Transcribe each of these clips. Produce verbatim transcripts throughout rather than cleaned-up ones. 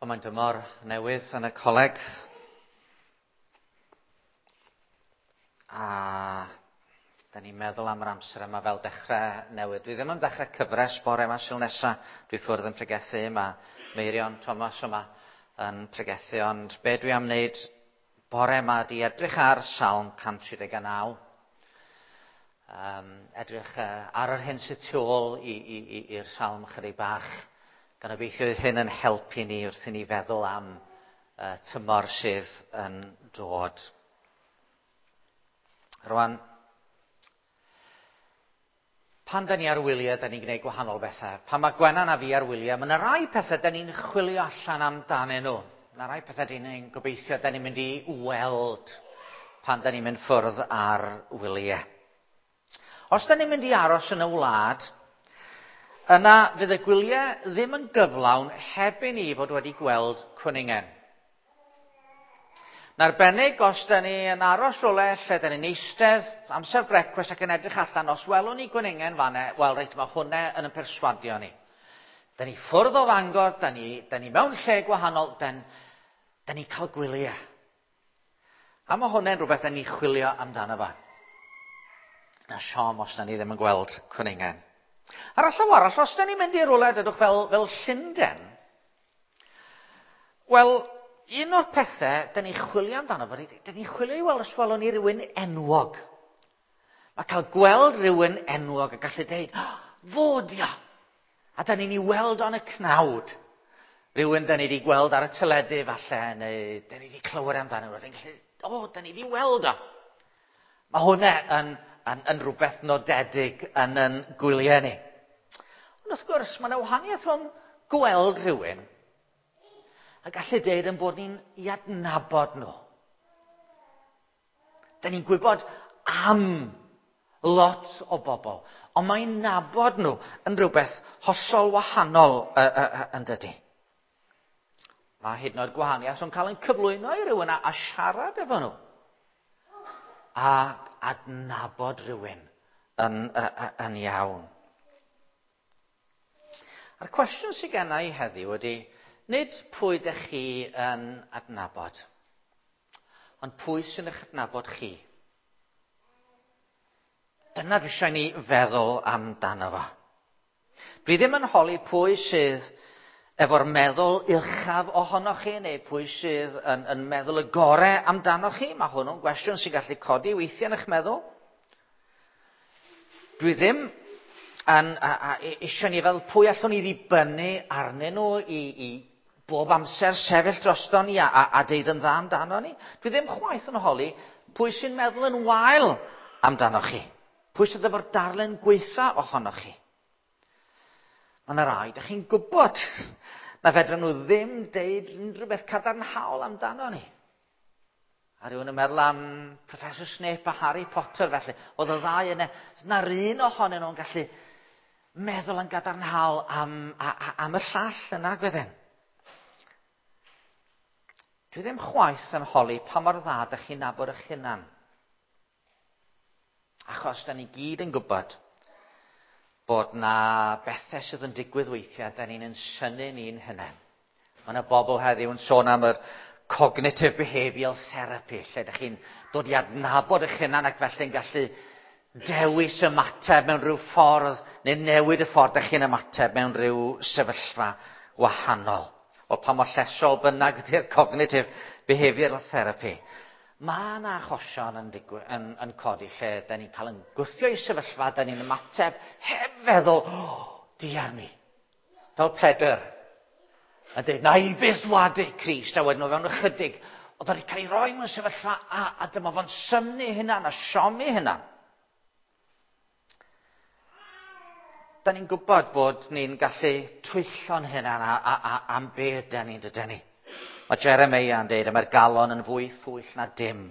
Ond mae'n dymor newydd yn y coleg. A da ni'n meddwl am yr amser yma fel dechrau newydd. Dwi ddim yn dechrau cyfres bore yma Sul nesa. Dwi ffwrdd yn pregethu. Mae Meirion Thomas yma yn pregethu. Ond be dwi am wneud bore yma ydi edrych ar Salm cant tri deg naw. Um, edrych uh, ar yr hyn sydd tu ôl i'r salm chydig bach. Gan obeithio fydd hyn yn helpu ni wrth i ni feddwl am uh, tymor sydd yn dod. Rwan, pan da ni ar wyliau, da ni'n gwneud gwahanol bethau. Pan mae Gwenan a fi ar wyliau, mae yna rai pethau da ni'n chwilio allan amdanyn nhw. Mae yna rai pethau da ni'n gobeithio da ni'n mynd i weld pan da ni'n mynd ffwrdd ar wyliau. Os da ni'n mynd i aros yn y wlad, yna fydd y gwyliau ddim yn gyflawn heb i ni fod wedi gweld cwningen. Yn arbennig, os da ni yn aros rhywle lle da ni'n eistedd amser brecwast ac yn edrych allan, os welwn ni gwningen fan'na, wel reit, mae hwnna yn yn perswadio ni. Da ni ffwrdd o Fangor, da ni, da ni mewn lle gwahanol, da, da ni cael gwyliau. A mae hwnna'n rhywbeth da ni chwilio amdano fo. Na siom os da ni ddim yn gweld cwningen. Ar y llaw arall, os da ni'n mynd i rywle, dydwch fel, fel Llundain, wel, un o'r pethau da ni'n chwilio amdano fo, da ni'n chwilio i weld os welwn ni rywun enwog. Mae cael gweld rhywun enwog a gallu deud, oh, fod ia! A da ni'n ei weld o'n y cnawd. Rhywun da ni wedi gweld ar y teledu falle, neu da ni wedi clywed amdano fo, da ni'n gallu, o, oh, da ni wedi weld o. Mae hwnna yn, yn, yn rhywbeth nodedig yn yn gwyliau ni. Ond wrth gwrs, mae yna wahaniaeth rhwng gweld rhywun a gallu deud yn bod ni'n i adnabod nhw. Da ni'n gwybod am lot o bobl, ond mae'n nabod nhw yn rhywbeth hollol wahanol uh, uh, uh, yn dydy. Mae hyd yn oed gwahaniaeth rhwng cael ein cyflwyno i rhywun a, a siarad efo nhw. A adnabod rhywun yn, yn, yn iawn. A'r cwestiwn sydd genna i heddiw ydy, nid pwy ydych chi yn adnabod, ond pwy sy'n eich adnabod chi? Dyna dwi eisiau ni feddwl amdano fo. Dwi ddim yn holi pwy sydd efo'r meddwl uchaf ohonoch chi, neu pwy sydd yn, yn meddwl y gorau amdanoch chi. Mae hwnnw'n gwestiwn sy'n gallu codi weithiau yn eich meddwl. Dwi ddim yn, a, a, eisiau ni feddwl pwy allwn ni ddibynnu arnyn nhw i, i bob amser sefyll drosto ni a, a, a deud yn dda amdano ni. Dwi ddim chwaith yn holi pwy sy'n meddwl yn wael amdanoch chi. Pwy sydd efo'r darlun gwaetha ohonoch chi. Mae yna rai, dych chi'n gwybod na fedran nhw ddim deud unrhyw beth cadarnhaol amdano ni. A rhywun yn meddwl am Professor Snape a Harry Potter felly. Oedd y ddau yna, na'r un ohonyn nhw'n gallu meddwl yn gadarnhaol am, a, a, am y llall yna, gwedden. Dwi ddim chwaith yn holi pa mor dda dych chi'n nabod eich hunan. Achos da ni gyd yn gwybod bod na bethau sydd yn digwydd weithiau, da ni'n synnu ni'n hunain. Mae yna bobl heddiw yn sôn am yr cognitive behavioural therapy, lle ydych chi'n dod i adnabod eich hunan ac felly'n gallu dewis ymateb mewn rhyw ffordd, neu newid y ffordd ydych chi'n ymateb mewn rhyw sefyllfa wahanol. O pa mor llesol bynnag ydy'r cognitive behavioural therapy. Mae yna achosion yn, digwy, yn, yn codi lle da ni'n cael yn gwthio i sefyllfa, da ni'n ymateb heb feddwl, oh, diar mi. Fel Pedr, yn dweud, na i byth wadu Crist, a wedyn o fewn ychydig, oedd wedi cael ei roi mewn sefyllfa, a, a dyma fo'n synnu hynna, a siomi hynna. Da ni'n gwybod bod ni'n gallu twyllo'n hynna a, a, a, am be da ni'n dydyn ni. Mae Jeremiah yn dweud, mae'r galon yn fwy thwyll na dim,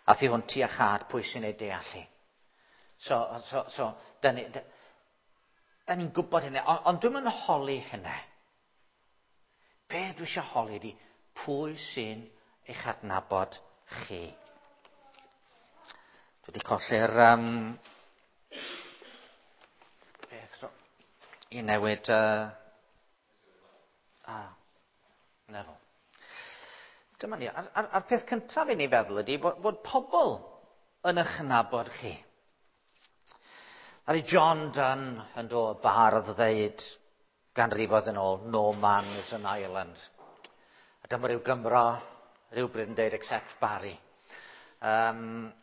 a thu hwnt i a chad pwy sy'n ei deall hi. So, so, so, da ni'n da, da ni gwybod hynny, ond on dwi'm yn holi hynny. Be dwi eisiau holi ydi, pwy sy'n eich adnabod chi? Dwi wedi colli'r um, beth i newid uh, ah, Na fo. Dyma ni. A'r, ar, ar peth cyntaf i ni feddwl ydy bod, bod pobl yn eich nabod chi. Ar i John Donne yn dod bardd ddeud ganrifoedd yn ôl, "No man is an island." A dyma rhyw Gymro, rhywbryd yn deud, "Except Barry." Um,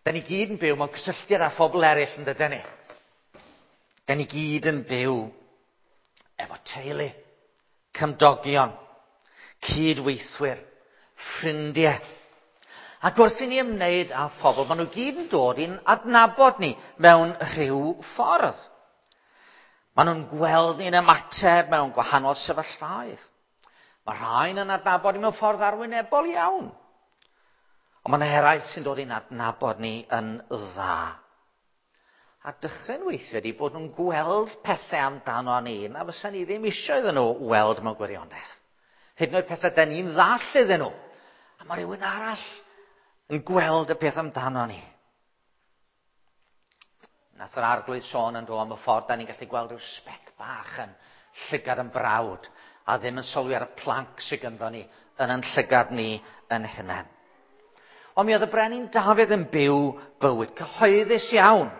Da ni gyd yn byw mewn cysylltiad â phobl eraill, yn dydyn ni? Da ni gyd yn byw efo teulu, cymdogion, cydweithwyr, ffrindiau. Ac wrth i ni ymwneud â phobl, maen nhw gyd yn dod i'n adnabod ni mewn rhyw ffordd. Maen nhw'n gweld ni'n ymateb mewn gwahanol sefyllfaoedd. Mae rhain yn adnabod ni mewn ffordd arwynebol iawn. Ond mae yna eraill sy'n dod i'n adnabod ni yn dda. A dychryn weithiau ydy bod nhw'n gweld pethau amdano ni na fysa ni ddim eisiau iddyn nhw weld mewn gwirionedd. Hyd yn oed pethau da ni'n ddall iddyn nhw. A mae rhywun arall yn gweld y peth amdano ni. Nath yr Arglwydd sôn yn do am y ffordd da ni'n gallu gweld rhyw sbec bach yn llygad yn brawd a ddim yn sylwi ar y planc sydd ganddo ni yn yn llygad ni yn hunain. Ond mi oedd y brenin Dafydd yn byw bywyd cyhoeddus iawn.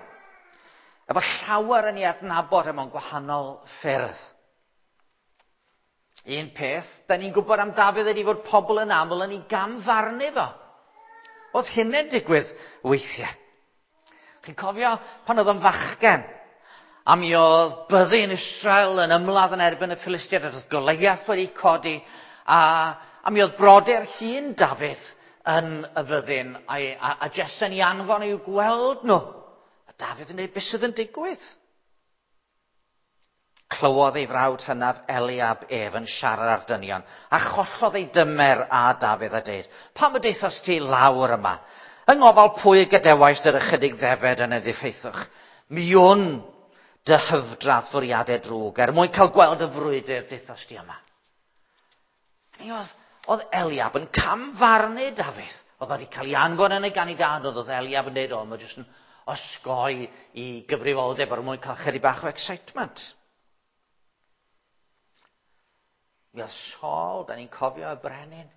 Efo llawer yn ei adnabod mewn gwahanol ffyrdd. Un peth, da ni'n gwybod am Dafydd ydy fod pobl yn aml yn ei gamfarnu fo. Oedd hynny'n digwydd weithiau. Chi'n cofio pan oedd o'n fachgen, a mi oedd byddin Israel yn ymladd yn erbyn y Philistiaid, oedd Goliath wedi codi, a, a mi oedd brodyr hŷn Dafydd yn y fyddin, a, a, a Jesse'n ei anfon i'w gweld nhw. A Dafydd yn dweud, "Beth sydd yn digwydd?" Clywodd ei frawd hynaf Eliab ef yn siarad ar dynion, a chollodd ei dymer a Dafydd a deud, "Pam y deithos ti lawr yma? Yng ngofal pwy gadewais yr ychydig ddefed yn y diffeithwch? Mi wn dy hyfdra fwriadau drwg, er mwyn cael gweld y frwydr deithos ti yma." Ni oedd, oedd Eliab yn camfarnu Dafydd. Oedd wedi cael ei anfon yn ei gan ei dad, oedd oedd Eliab yn dweud, "O, mae jyst yn osgoi i gyfrifoldeb er mwyn cael chydig bach o excitement." Mi oedd Saul, da ni'n cofio y brenin,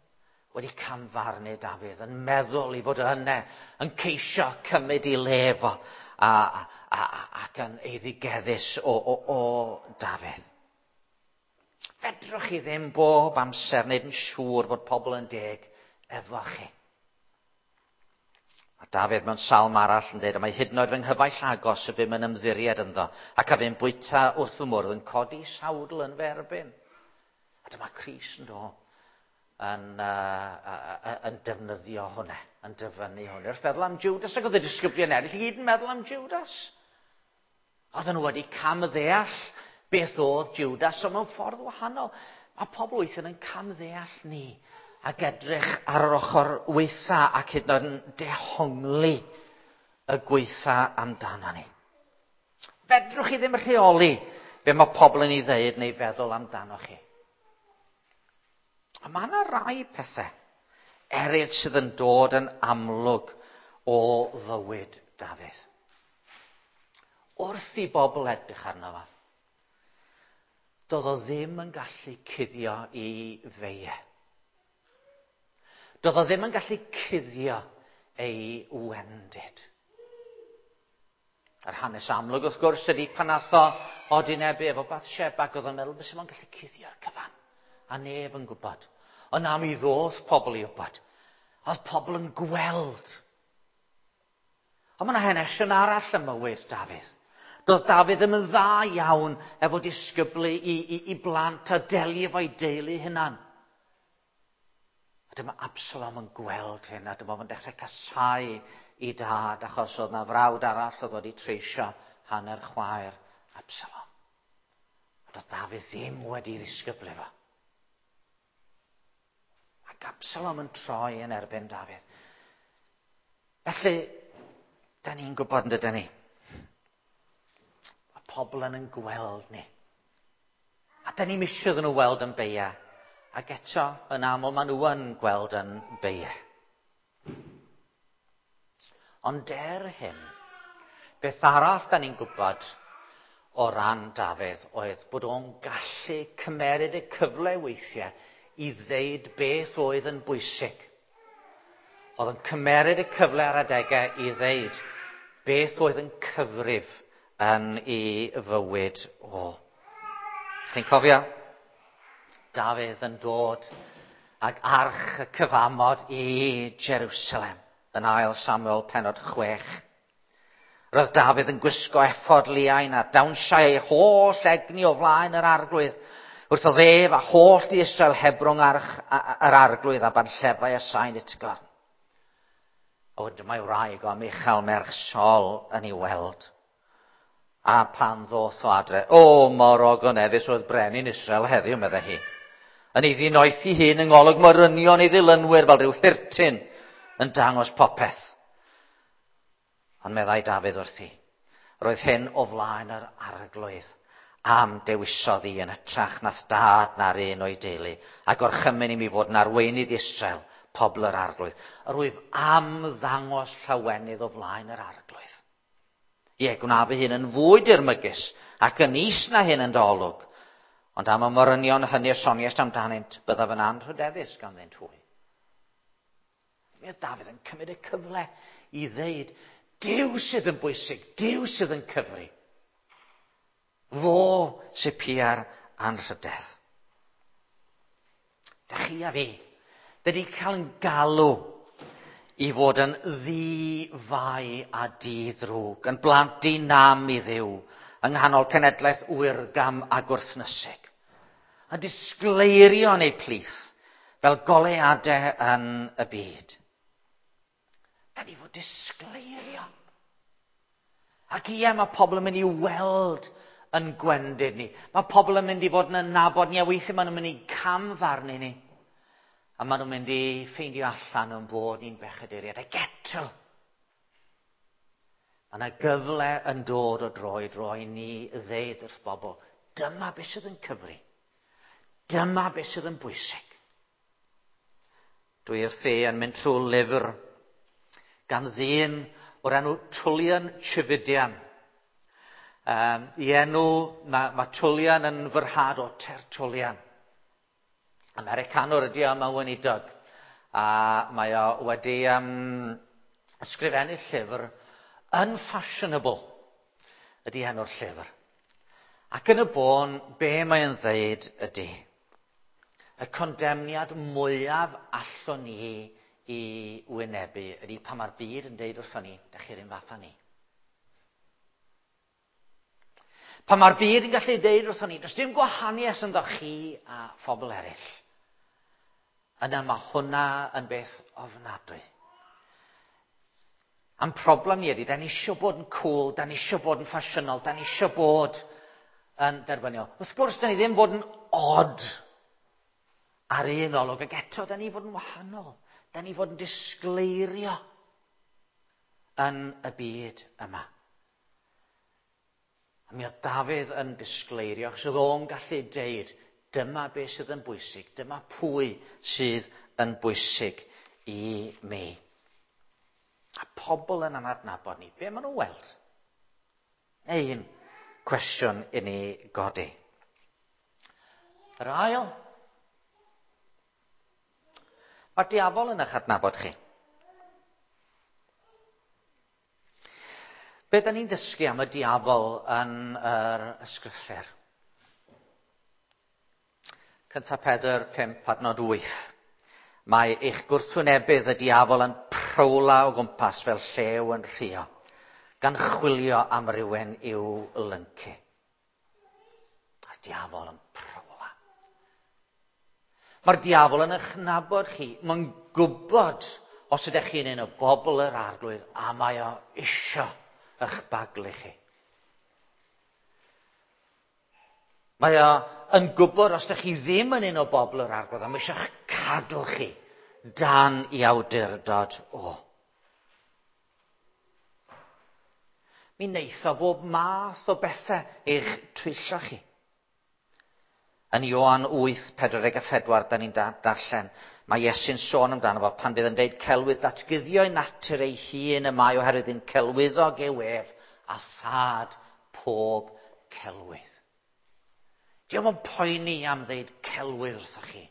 wedi camfarnu Dafydd, yn meddwl i fod yna, yn ceisio cymryd i le fo, a, a, a, ac yn eiddigeddus o, o, o Dafydd. Fedrwch chi ddim bob amser wneud yn siŵr fod pobl yn deg efo chi. A Dafydd mewn salm arall yn dweud, "A mae hyd yn oed fy nghyfaill agos y bum yn ymddiried ynddo, ac a fu'n bwyta wrth fy mwrdd yn codi sawdl yn fy erbyn." A dyma Crist yn dod yn, uh, uh, yn defnyddio hwnna, yn dyfynnu hwnna. Wrth feddwl am Judas, ac oedd y disgyblion eraill i gyd yn meddwl am Judas. Oedden nhw wedi camddeall beth oedd Judas, ond mewn ffordd wahanol. Mae pobl weithiau yn camddeall ni ac edrych ar yr ochr weitha ac hyd yn oed yn dehongli y gweitha amdano ni. Fedrwch chi ddim rheoli be mae pobl yn ei ddeud neu feddwl amdano chi. A mae yna rai pethau eraill sydd yn dod yn amlwg o fywyd Dafydd. Wrth i bobl edrych arno fo, doedd o ddim yn gallu cuddio i feie. Doedd o ddim yn gallu cuddio ei wendid. Yr hanes amlwg, wrth gwrs, ydy pan nath o odinebu efo Bathsheba, ac oedd o'n meddwl bys fo'n gallu cuddio'r cyfan. A neb yn gwybod. Ond am i ddoth pobl i wybod. Oedd pobl yn gweld. Ond mae yna hanesion arall ym mywyd Dafydd. Doedd Dafydd ddim yn dda iawn efo disgyblu i, i, i blant a delio efo'i deulu hunan. A dyma Absalom yn gweld hyn, a dyma fo'n dechrau casáu i dad, achos oedd na frawd arall oedd wedi treisio hanner chwaer Absalom. A doedd Dafydd ddim wedi ddisgyblu fo. Ac Absalom yn troi yn erbyn Dafydd. Felly, da ni'n gwybod yn dydyn ni. Mae pobl yn yn gweld ni. A da ni'n misio iddyn nhw weld yn beia. Ac eto, yn aml, maen nhw yn gweld yn beia. Ond er hyn, beth arall da ni'n gwybod o ran Dafydd oedd bod o'n gallu cymeryd y cyfle weithiau i ddeud beth oedd yn bwysig. Oedd yn cymeryd y cyfle ar adegau i ddeud beth oedd yn cyfrif yn ei fywyd o. Chi'n cofio? Dafydd yn dod ag arch y cyfamod i Jerusalem yn ail Samuel penod chwech. Roedd Dafydd yn gwisgo effod liain a dawnsiau ei holl egni o flaen yr arglwydd. Wrth oedd ef a holl di Israel hebrwng arch yr arglwydd a banllefau a sain utgorn. A wedyn mae wraig o Michal merch Saul yn ei weld. A pan ddoth o adre, o, mor ogoneddus oedd brenin Israel heddiw, meddai hi. Yn ei ddinoethi hun yng ngolwg morynion ei ddilynwyr fel rhyw hirtyn yn dangos popeth. Ond meddai Dafydd wrthi, roedd hyn o flaen yr arglwydd am dewisodd i yn hytrach nath dad na'r un o'i deulu, a gorchymyn i mi fod yn arweinydd Israel, pobl yr arglwydd. Yr wyf am ddangos llawenydd o flaen yr arglwydd. Ie, gwna fy hun yn fwy dirmygus ac yn is na hyn yn dy olwg. Ond am y morynion hynny y soniaist amdanynt, byddaf yn anrhydeddus ganddynt hwy. Mi oedd Dafydd yn cymryd y cyfle i ddeud, Duw sydd yn bwysig, Duw sydd yn cyfri. Fo sydd pia'r anrhydedd. Dych chi a fi, wedi cael yn galw i fod yn ddi-fai a di-ddrwg, yn blant di-nam i Dduw, yng nghanol cenedlaeth wyrgam a gwrthnysig. A disgleirio yn eu plith, fel goleuadau yn y byd. Da ni fod disgleirio. Ac ie, mae pobl yn mynd i weld yn gwendid ni. Mae pobl yn mynd i fod yn nabod ni, a weithiau maen nhw'n mynd i camfarnu ni. A maen nhw'n mynd i ffeindio allan yn bod ni'n bechaduriaid. Ac eto, mae yna gyfle yn dod o dro i dro i ni ddeud wrth bobl, dyma beth sydd yn cyfri. Dyma beth sydd yn bwysig. Dwi wrthi yn mynd trwy lyfr gan ddyn o'r enw Tullian Tchividjian. Um, I enw, mae, mae Tullian yn fyrhad o Tertullian. Americanwr ydi o, mae'n weinidog. A mae o wedi um, ysgrifennu llyfr Unfashionable ydi enw'r llyfr. Ac yn y bôn, be mae'n ddeud ydi, y condemniad mwyaf allwn ni i wynebu ydi pan mae'r byd yn deud wrthon ni, dych chi'r un fath â ni. Pan mae'r byd yn gallu deud wrthon ni, does dim gwahaniaeth ynddo chi a phobl eraill. Yna mae hwnna yn beth ofnadwy. A'n problem ni ydy, da ni eisiau bod yn cool, da ni eisiau bod yn ffasiynol, da ni eisiau bod yn derbyniol. Wrth gwrs, da ni ddim bod yn odd ar un olwg, ac eto, da ni fod yn wahanol. Da ni fod yn disgleirio yn y byd yma. A mi oedd Dafydd yn disgleirio, achos oedd o'n gallu deud, dyma beth sydd yn bwysig, dyma pwy sydd yn bwysig i mi. A pobl yn anadnabod ni, be maen nhw'n weld? Un cwestiwn i ni godi. Yr ail, mae'r diafol yn eich adnabod chi. Be da ni'n ddysgu am y diafol yn yr ysgrythur? Cynta Pedr pump adnod wyth. Mae eich gwrthwynebydd y diafol yn prowla o gwmpas fel llew yn rhuo, gan chwilio am rywun i'w lyncu. Mae'r diafol yn prowla. Mae'r diafol yn eich nabod chi. Mae'n gwybod os ydych chi'n un o bobl yr arglwydd, a mae o isio eich baglu chi. Mae o yn gwybod os ydych chi ddim yn un o bobl yr arglwydd, a mae eisiau cadw chi dan i awdurdod o. Mi wneith o bob math o bethau eich twyllo chi. Yn Ioan wyth, pedwar deg a phedwar, da ni'n darllen, mae Iesu'n sôn amdano fo pan fydd yn deud celwydd datguddio ei natur ei hun y mae oherwydd yn celwyddog yw ef a thad pob celwydd. Dio'm yn poeni am ddeud celwydd wrthoch chi.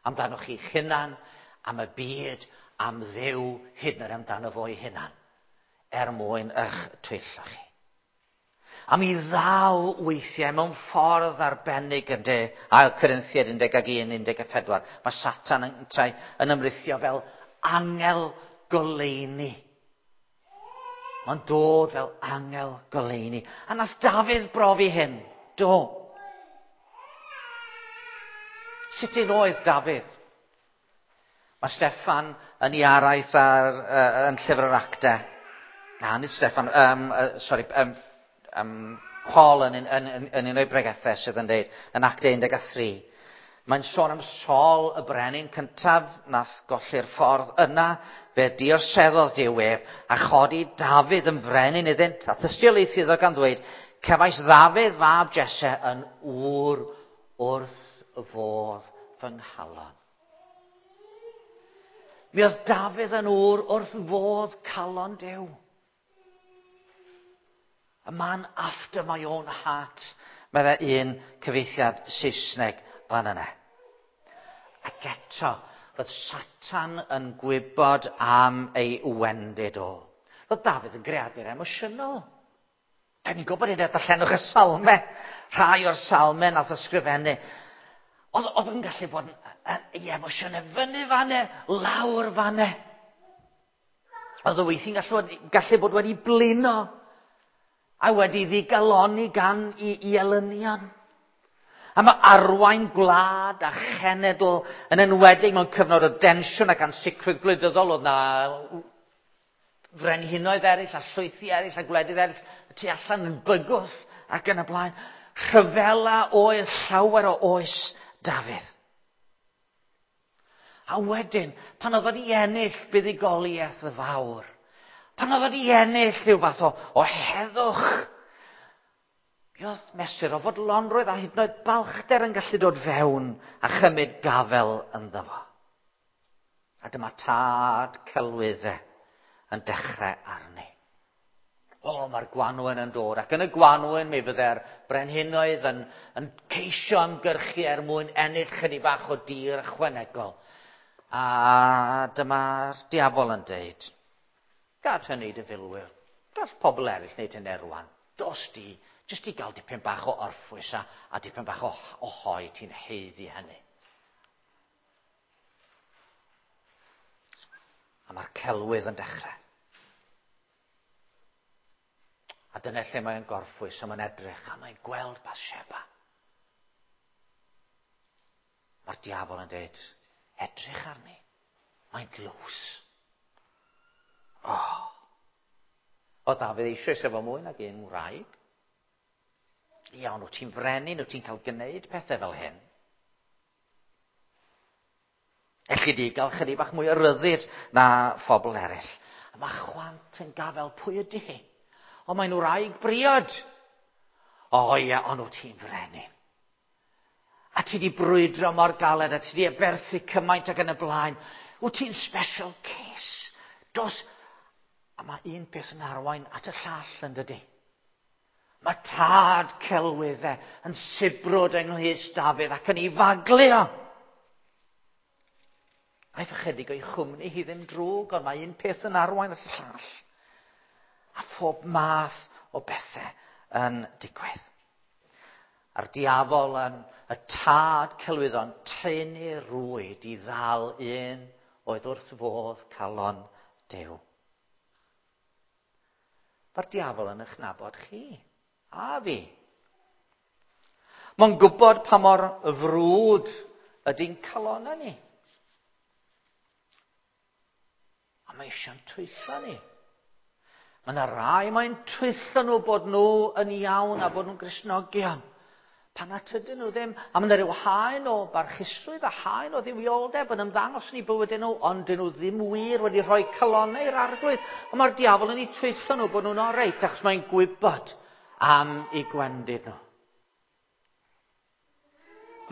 Amdanoch chi'ch hunan, am y byd, am Dduw, hyd yn oed amdano fo'i hunan, er mwyn eich twyllo chi. A mi ddaw weithiau mewn ffordd arbennig yn de, Ail Corinthiaid un deg un, un deg pedwar. Mae Satan yn, yn ymrithio fel angel goleuni. Mae'n dod fel angel goleuni. A nath Dafydd brofi hyn. Do. Sut un oedd Dafydd? Mae Steffan yn ei araith ar, uh, yn llyfr yr Actau. Na, nid Steffan, um, uh, sorry, um, um, Paul yn, yn, yn, yn un o'i bregethau sydd yn dweud, yn Actau un deg tri. Mae'n sôn am Saul y brenin cyntaf nath golli'r ffordd yna, fe diorseddodd Duw ef, a chodi Dafydd yn frenin iddynt, a thystiolaethu iddo gan ddweud, cefais Ddafydd fab Jesse yn ŵr wrth fodd fy nghalon. Mi oedd Dafydd yn ŵr wrth fodd calon Duw. A man after my own heart, meddai un cyfieithiad Saesneg fan yna. Ac eto, roedd Satan yn gwybod am ei wendid o. Roedd Dafydd yn greadur emosiynol. Da ni'n gwybod hynny, darllenwch y salmau, rhai o'r salmau nath ysgrifennu. Oedd, oedd yn gallu bod yn, ei emosiynau fyny fanne, lawr fanne. Oedd o weithiau'n gallu, gallu bod wedi blino a wedi ddigaloni gan i, i elynion. A mae arwain gwlad a chenedl yn enwedig mewn cyfnod o densiwn ac ansicrwydd gwleidyddol, oedd na frenhinoedd eraill a llwythi eraill a gwledydd eraill y tu allan yn bygwth ac yn y blaen. Rhyfela oedd llawer o oes Dafydd. A wedyn, pan oedd wedi ennill buddugoliaeth y fawr, pan oedd wedi ennill rhyw fath o, o heddwch, mi oedd mesur o fodlonrwydd a hyd yn oed balchder yn gallu dod fewn a chymryd gafel ynddo fo. A dyma tad celwyddau yn dechrau arni. O, mae'r gwanwyn yn dod, ac yn y gwanwyn mi fydde'r brenhinoedd yn, yn ceisio ymgyrchu er mwyn ennill chydig bach o dir ychwanegol. A dyma'r diafol yn deud, gad hynny dy filwyr, gall pobl eraill wneud hynny rwan. Dos di, jyst i gael dipyn bach o orffwys a, a dipyn bach o, o hoi, ti'n haeddu hynny. A mae'r celwydd yn dechrau. A dyna lle mae'n gorffwys, a mae'n edrych, a mae'n gweld Bathsheba. Mae'r diafol yn dweud, edrych arni, mae'n glws. Oh. O Dafydd eisoes efo mwy nag un wraig. Iawn, wyt ti'n frenin, wyt ti'n cael gwneud pethau fel hyn. Elli di gael chydig bach mwy o ryddid na phobl eraill. A mae chwant yn gafel, pwy ydy hi? O, mae'n wraig briod. O ie, ond wyt ti'n frenin. A ti di brwydro mor galed, a ti di aberthu cymaint ac yn y blaen. Wyt ti'n special case. Dos. A mae un peth yn arwain at y llall yn dydi. Mae tad celwyddau yn sibrwd yng nghlust Dafydd ac yn ei faglu o. Aeth ychydig o'i chwmni hi ddim drwg, ond mae un peth yn arwain at y llall. A phob math o bethau yn digwydd. A'r diafol yn y tad celwyddon tynnu rwyd i ddal un oedd wrth fodd calon Duw. Mae'r diafol yn eich nabod chi, a fi. Mae'n gwybod pa mor frwd ydy'n calonau ni. A mae eisiau'n twyllo ni. Mae yna rai mae'n twyllo nhw bod nhw yn iawn a bod nhw'n Gristnogion. Pan nad ydyn nhw ddim. A mae yna rhyw haen o barchusrwydd a haen o dduwioldeb yn ymddangos yn eu bywydau nhw, ond dyn nhw ddim wir wedi rhoi calonnau i'r Arglwydd. Ond mae'r diafol yn eu twyllo nhw bod nhw'n oreit, achos mae'n gwybod am eu gwendid nhw.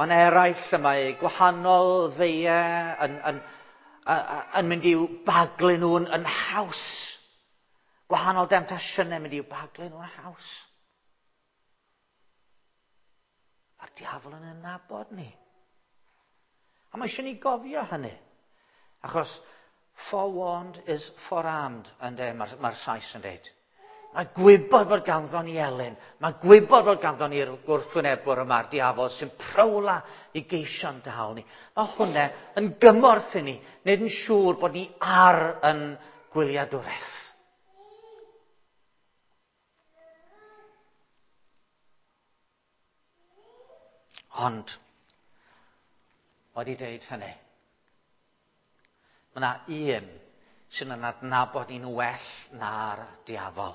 Mae'n eraill y mae gwahanol feiau yn, yn, yn mynd i'w baglu nhw'n yn haws. Gwahanol demtasiynau mynd i'w baglu nhw'n haws. Mae'r diafol yn nabod ni. A mae eisiau ni gofio hynny. Achos forewarned is forearmed, ynde, mae'r mae Sais yn dweud. Mae gwybod fod ganddo ni elyn. Mae gwybod fod ganddo ni'r gwrthwynebwr yma'r diafol sy'n prowla i geisio'n dal ni. Mae hwnna yn gymorth i ni, wneud yn siŵr bod ni ar yn gwyliadwraeth. Ond, wedi deud hynny, mae yna un sy'n yn adnabod ni'n well na'r diafol.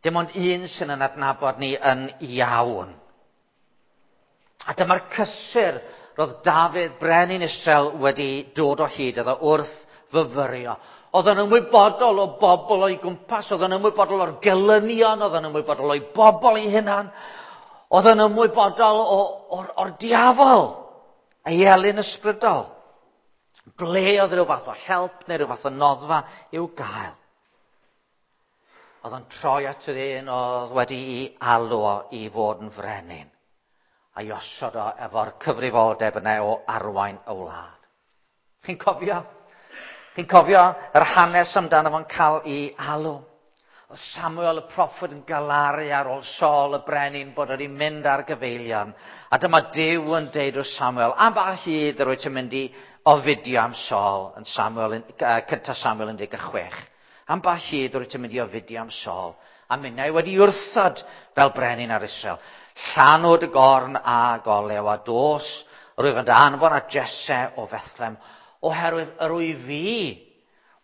Dim ond un sy'n yn adnabod ni yn iawn. A dyma'r cysur roedd Dafydd brenin Israel wedi dod o hyd iddo wrth fyfyrio. Oedd yn ymwybodol o bobl o'i gwmpas, oedd yn ymwybodol o'r gelynion, oedd yn ymwybodol o'i bobl ei hunan, oedd yn ymwybodol o'r, o'r diafol, ei elyn ysbrydol. Ble oedd rhyw fath o help neu rhyw fath o noddfa i'w gael. Oedd o'n troi at yr un oedd wedi'i alw o i fod yn frenin a'i osod o efo'r cyfrifoldeb yna o arwain y wlad. Chi'n cofio? Chi'n cofio yr hanes amdano fo'n cael ei alw? Oedd Samuel y proffwyd yn galaru ar ôl Saul y brenin bod wedi mynd ar gyfeilion. A dyma Duw yn deud wrth Samuel, am ba hyd yr wyt ti'n mynd i ofidio am Saul yn Samuel, cynta Samuel un deg chwech. Am ba hyd yr wyt ti'n mynd i ofidio am Saul? A minnau wedi wrthod fel brenin ar Israel. Llanw dy gorn a golew a dos, rwyf yn dy anfon at Jesse o Fethlem, oherwydd yr wyf fi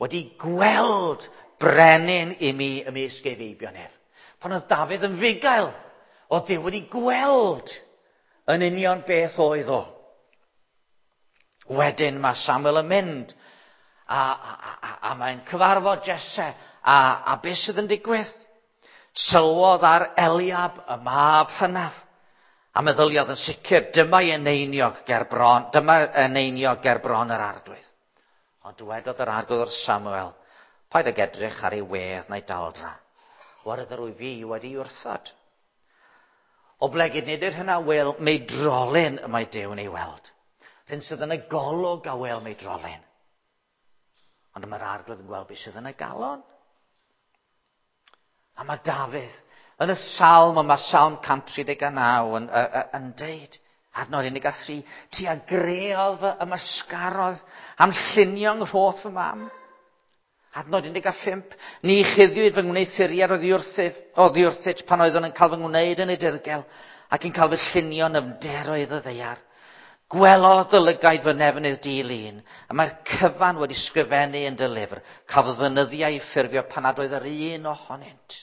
wedi gweld brenin i mi ymysg ei feibion ef. Pan oedd Dafydd yn fugail, oedd Duw wedi gweld yn union beth oedd o. Wedyn mae Samuel yn mynd a, a, a, a mae'n cyfarfod Jesse a, a beth sydd yn digwydd? Sylwodd ar Eliab y mab hynaf a meddyliodd yn sicr dyma eneiniog ger bron, dyma eneiniog ger bron yr arglwydd. Ond dywedodd yr arglwydd wrth Samuel, paid ag edrych ar ei wedd na'i daldra, oherwydd yr wyf fi wedi wrthod. Oblegid nid yw'r hynna wel meidrolyn y mae Duw yn ei weld. Rhyn sydd yn y golwg a wel meidrolyn. Ond mae'r arglwydd yn gweld beth sydd yn y galon. A mae Dafydd yn y salm yma, Salm cant tri deg naw yn, yn, yn deud, adnod un deg tri, ti a greodd fy ymysgarodd am llunio nghrôth fy mam. Adnod un deg pump, ni chuddiwyd fy ngwneuthuriad oddi wrthyf, oddi wrthyt pan oeddwn yn cael fy ngwneud yn y dirgel ac yn cael fy llunio yn ymderoedd y ddaear. Gwelodd dy lygaid fy nefnydd di-lun, a mae'r cyfan wedi sgrifennu yn dy lyfr. Cafodd fy nyddiau eu ffurfio pan nad oedd yr un ohonynt.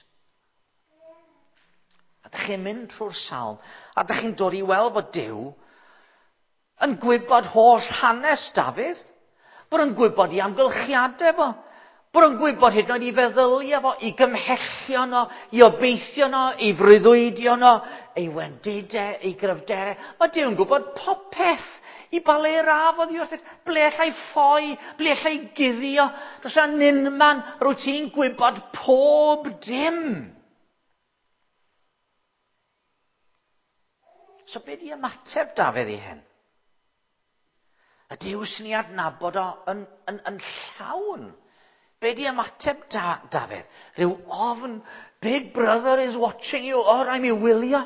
A dych chi'n mynd trwy'r salm, a dych chi'n dod i weld fod Duw yn gwybod holl hanes Dafydd, bod yn gwybod i amgylchiadau fo, bod yn gwybod hyd yn oed i feddyliau fo, i gymhellion o, i obeithion o, i freuddwydion o, ei wendidau, ei gryfderau. Mae Duw yn gwybod popeth i ba le raf oddi wrthyt, ble allai ffoi, ble allai guddio. Does yna unman rwyt ti'n gwybod pob dim. So be di ymateb Dafydd i hyn? Y Duw sy'n ei adnabod o yn, yn, yn llawn. Be di ymateb da, Dafydd? Rhyw ofn, Big Brother is watching you, o, rhaid mi wylio.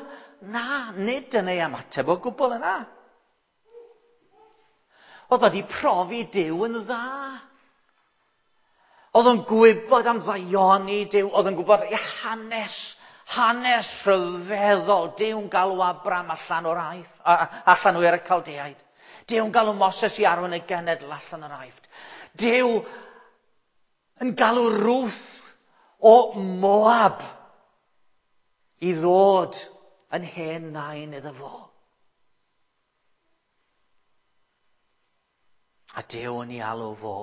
Na, nid yn ei ymateb o gwbl yna. Oedd wedi profi Duw yn dda. Oedd o'n gwybod am ddaioni Duw, oedd o'n gwybod ei hanes, hanes rhyfeddol. Duw'n galw Abram allan o'r Aifft, allan o'r Caldeaid. Duw'n galw Moses i arwain y genedl allan o'r Aifft. Duw yn galw Ruth o Moab i ddod yn hen nain iddo fo. A Duw yn ei alw fo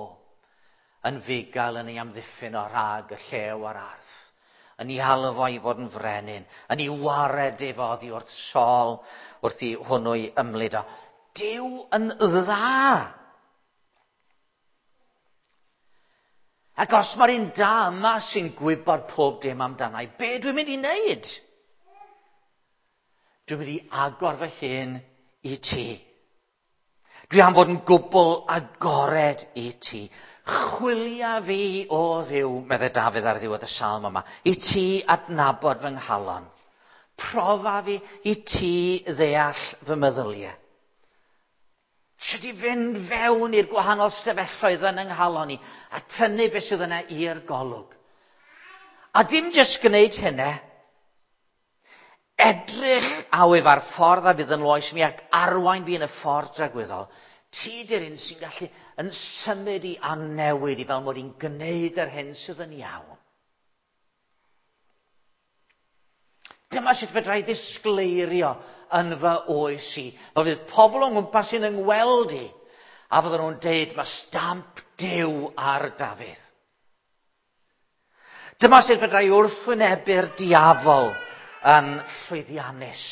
yn fugail yn ei amddiffyn o rhag y llew a'r arth, yn ei alw fo i fod yn frenin, yn ei wared efo oddi wrth Saul wrth i hwnnw i ymlid o. Duw yn dda. Ac os mae'r un da yma sy'n gwybod pob dim amdana i, be dwi'n mynd i wneud? Dwi'n mynd i agor fy hun i ti. Dwi am fod yn gwbl agored i ti. Chwilia fi o Dduw, meddai Dafydd ar ddiwedd y salm yma, i ti adnabod fy nghalon. Profa fi i ti ddeall fy meddyliau. Sut i fynd fewn i'r gwahanol stafelloedd yn yng nghalon i a tynnu beth sydd yna i'r golwg. A dim jyst gwneud hynny, edrych awydd ar ffordd a fydd yn loes mi ac arwain fi yn y ffordd dragwyddol. Ti di'r un sy'n gallu yn symud i a newid i fel mod i'n gwneud yr hyn sydd yn iawn. Dyma sut fedra i ddisgleirio yn fy oes i. Fel fydd pobl o'n ngwmpas i'n yngweld i, a fydden nhw'n deud, mae stamp Duw ar Dafydd. Dyma sut fedra i wrthwynebu'r diafol yn llwyddiannus.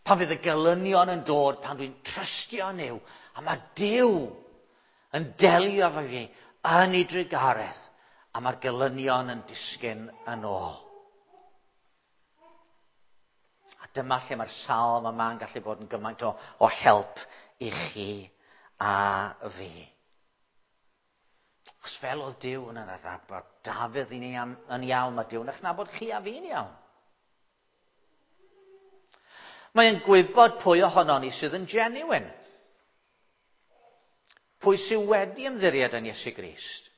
Pan fydd y gelynion yn dod, pan dwi'n trystio Nuw, a mae Duw yn delio efo fi yn ei drugaredd, a mae'r gelynion yn disgyn yn ôl. A dyma lle mae'r salm yma'n gallu bod yn gymaint o, o help i chi a fi. Achos fel oedd Duw yn adnabod Dafydd yn iawn, mae Duw yn eich nabod chi a fi'n iawn. Mae'n gwybod pwy ohonon ni sydd yn genuine. Pwy sydd wedi ymddiried yn Iesu Grist.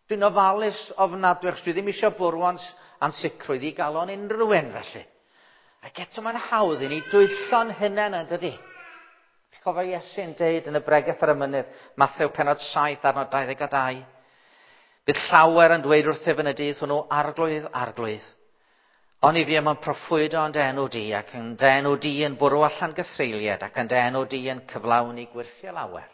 Dwi'n ofalus ofnadwy, achos dwi ddim eisiau bwrw ansicrwydd i galon unrhyw un felly. Ac eto mae'n hawdd i ni dwyllo'n hunain yn dydi. Chi'n cofio Iesu'n deud yn y bregeth ar y mynydd, Mathew pennod saith, adnod dau ddeg a dau. Bydd llawer yn dweud wrthyf yn y dydd hwnnw, Arglwydd, Arglwydd. Oni fi am yn proffwydo yn dy enw di, ac yn dy enw di yn bwrw allan gythreuliad, ac yn dy enw di yn cyflawni gwyrthiau lawer.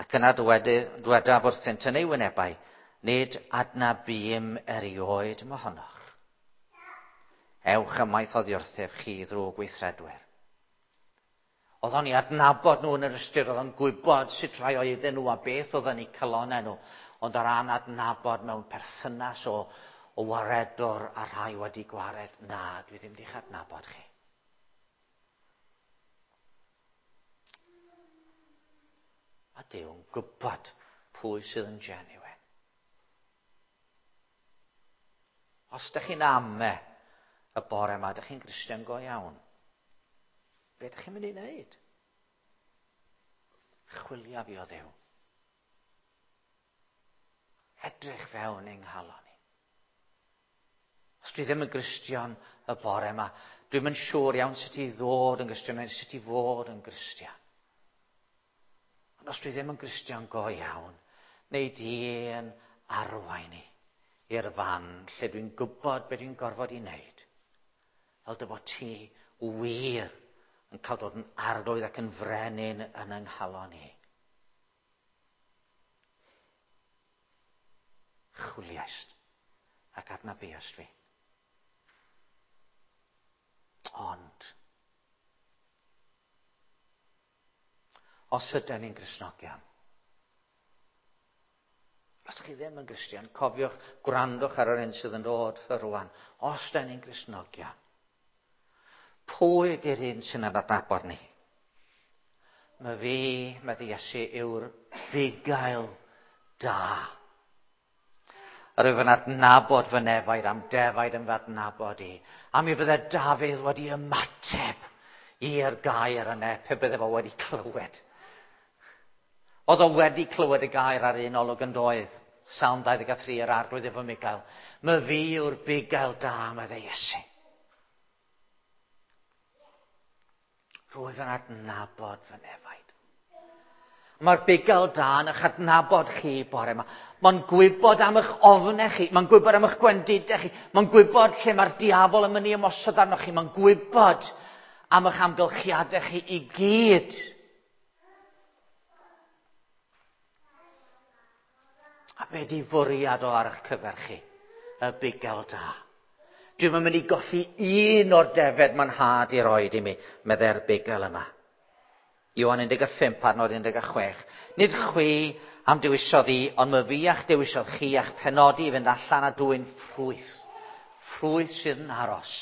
Ac yna dwedaf wrthynt yn ei wynebau, nid adnabûm erioed mohonoch. Ewch ymaith oddi wrthyf chi ddrwg weithredwyr. Oedd o'n i adnabod nhw yn yr ystyr, oedd o'n gwybod sut rai oedden nhw a beth oedd yn eu calonnau nhw, ond o ran adnabod mewn perthynas o o waredwr a rhai wedi gwared, na, dwi ddim di'ch adnabod chi. A Duw'n gwybod pwy sydd yn genuine. Os ydych chi'n ame y bore yma, ydych chi'n Gristion go iawn, be ydych chi'n mynd i wneud? Chwilio fi o Dduw. Edrych fewn yng nghalon i. Os dwi ddim yn Gristion y bore yma, dwi'm yn siŵr iawn sut i ddod yn Gristion neu sut i fod yn Gristion. Ond os dwi ddim yn Gristion go iawn, neu di yn arwain i i'r fan lle dwi'n gwybod beth dwi'n gorfod i wneud. Fel dy fod ti wir yn cael dod yn arglwydd ac yn frenin yn yng nghalon i. Chwiliaist ac adnabuast fi. Ond, os ydyn ni'n Gristnogion, os chi ddim yn Gristion, cofiwch, gwrandwch ar yr un sydd yn dod rwan. Os ydyn ni'n Gristnogion, pwy ydy'r un sy'n adnabod ni? Mae fi, medde Iesu, yw'r bugail da. Yr wyf yn adnabod fy nefaid am defaid yn fy adnabod i. A mi bydde Dafydd wedi ymateb i'r gair yna pe bydde fo wedi clywed. Oedd o wedi clywed y gair ar un olwg yn doedd. Salm dau ddeg a thri, yr arglwydd efo Migael. My fi yw'r bugail da, medde Iesu. Rwyf yn adnabod fy nefaid. Mae'r bugail da yn eich adnabod chi bore yma. Mae'n gwybod am eich ofnau chi. Mae'n gwybod am eich gwendidau chi. Mae'n gwybod lle mae'r diafol yn mynd i ymosod arnoch chi. Mae'n gwybod am eich amgylchiadau chi i gyd. A be di fwriad o ar eich cyfer chi? Y bugail da. Dwi'm yn mynd i golli un o'r defed mae'n nhad i roed i mi, meddai'r bugail yma. Ioan un deg pump, adnod un deg chwech. Nid chwi am dewisodd i, ond my fi a'ch dewisodd chi a'ch penodi i fynd allan a dwyn ffrwyth. Ffrwyth sydd yn aros.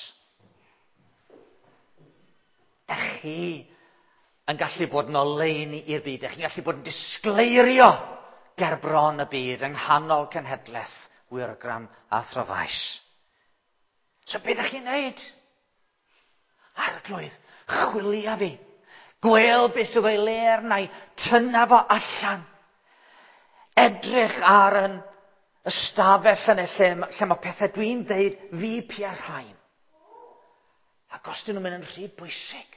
chi yn gallu bod yn oleuni i'r byd. Ydych chi'n gallu bod yn disgleirio ger bron y byd yng nghanol cenhedlaeth Wyrgram a Throfaes. So beth ydych chi'n neud? Arglwydd, chwilia fi. Gwel beth sydd o'i le arna i, tynna fo allan. Edrych ar yn ystafell yna lle, lle mae pethau dwi'n deud fi pia'r rhain. Ac os dyn nhw'n mynd yn rhy bwysig,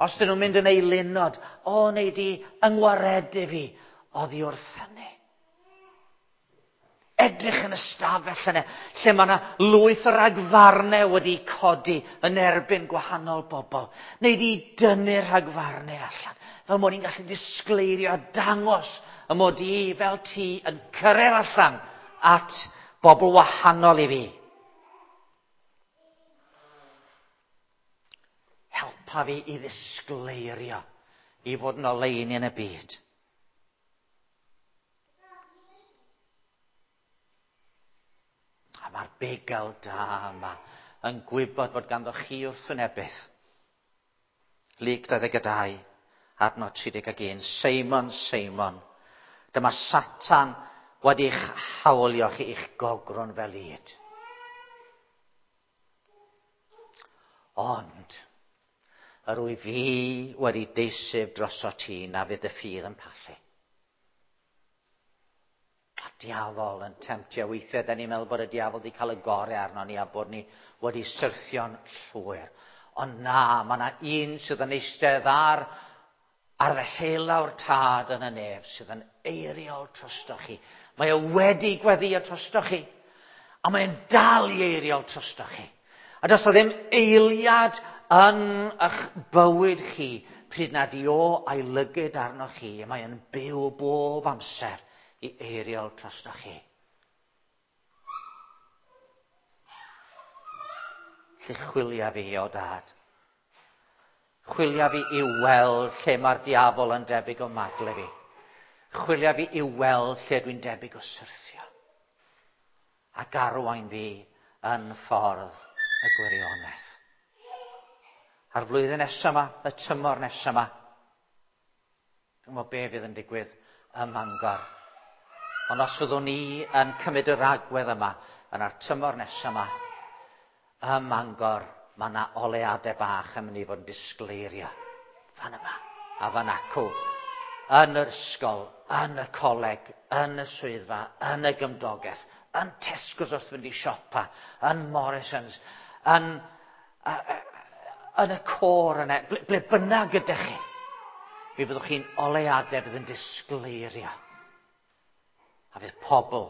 os dyn nhw'n mynd yn eilunod, o, neu di yngwaredu fi oddi wrth hynny. Edrych yn ystafell yna, lle mae yna lwyth o ragfarnau wedi codi yn erbyn gwahanol bobl. Neu di dynnu'r rhagfarnau allan, fel mod i'n gallu disgleirio a dangos y mod i fel ti yn cyrraedd allan at bobl wahanol i fi. Helpa fi i ddisgleirio, i fod yn oleuni yn y byd. A mae'r bugail da yma yn gwybod fod ganddo chi wrthwynebydd. Luc dau ddeg dau, adnod tri deg un. Seimon, Seimon, dyma Satan wedi'ch hawlio chi i'ch gogrwn fel ŷd. Ond, yr wyf fi wedi deisyf droso ti na fydd y ffydd yn pallu. A diafol yn temtio weithiau, da ni'n meddwl bod y diafol wedi cael y gorau arno ni a bod ni wedi syrthio'n llwyr. Ond na, mae yna un sydd yn eistedd ar, ar ddeheulaw'r tad yn y nef sydd yn eiriol drosto chi. Mae o wedi gweddio drosto chi. A mae'n dal i eiriol drosto chi. A does o ddim eiliad yn eich bywyd chi pryd nad i o a'i lygyd arno chi. Mae'n byw bob amser i eiriol drosto chi. Lle chwilia fi o dad. Chwilia fi i weld lle mae'r diafol yn debyg o magle fi. Chwilia fi i weld lle dwi'n debyg o syrthio. Ac arwain fi yn ffordd y gwirionedd. A'r flwyddyn nesaf yma, y tymor nesaf yma, dwi'n gwybod be fydd yn digwydd ym Mangor. Ond os fyddwn ni yn cymryd yr agwedd yma, yna'r tymor nesaf yma, ym Mangor, mae yna oleadau bach yn mynd i fod yn disgleirio. Fan yma, a fan acw, yn yr ysgol, yn y coleg, yn y swyddfa, yn y gymdogaeth, yn Tesco's wrth fynd i siopa, yn Morrison's, yn, uh, yn y côr yna, ble, ble bynnag ydych chi. Mi fyddwch chi'n oleadau fydd yn disgleirio. A fydd pobl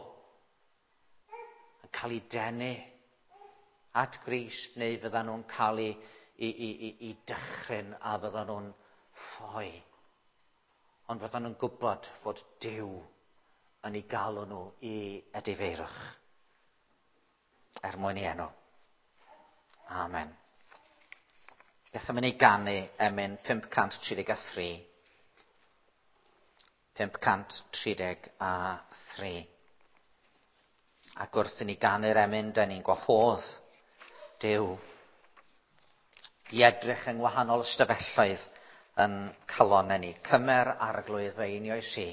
yn cael eu denu at Grist, neu fyddan nhw'n cael eu i, i, i, i dychryn a fyddan nhw'n ffoi. Ond fyddan nhw'n gwybod fod Duw yn ei galw nhw i edifeirwch. Er mwyn i enw. Amen. Beth am i ni ganu emyn pump cant tri deg a thri. pump cant tri deg a thri. Ac wrth i ni ganu'r emyn, da ni'n gwahodd Duw i edrych yng ngwahanol ystafelloedd yn calonnau ni. Cymer Arglwydd fy einioes i,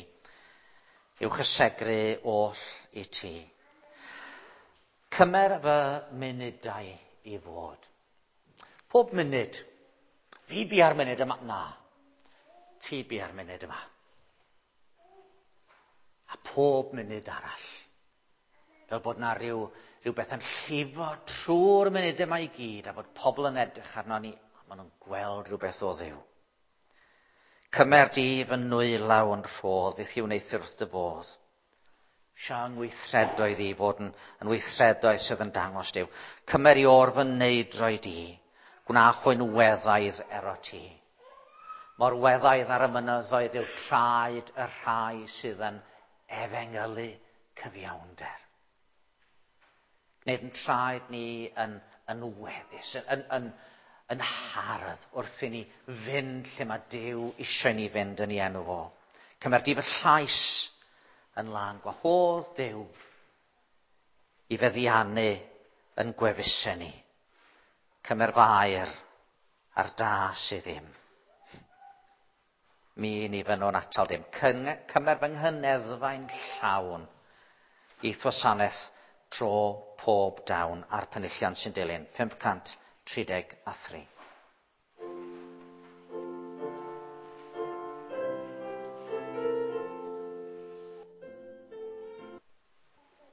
i'w chysegru oll i ti. Cymer fy munudau i fod. Pob munud. Fi bia'r munud yma. Na. Ti bia'r munud yma. A pob munud arall. Fel bod na rhyw, rhywbeth yn llifo trwy'r munud yma i gyd, a bod pobl yn edrych arno ni, a maen nhw'n gweld rhywbeth o Dduw. Cymer di fy nwylaw yn rhodd, beth i'w wneuthur wrth dy fodd. Siang weithredoedd i fod yn, yn weithredoedd sydd yn dangos Duw. Cymer i o'r fy neidroed i, gwna chwyn weddaidd ero ti. Mor weddaidd ar y mynyddoedd yw traed y rhai sydd yn efengylu cyfiawnder. Gwneud yn traed ni yn, yn weddus, yn, yn, yn hardd wrth i ni fynd lle mae Duw eisiau ni fynd yn ei enw fo. Cymer di fy llais yn lân, gwahodd Duw i feddiannu yn gwefusau ni. Cymer fy air A'r da sydd ddim. Mi ni fynnwn atal dim. Cymer fy nghyneddfau'n llawn i'th wasanaeth tro pob dawn a'r penillion sy'n dilyn. pump cant tri deg a thri.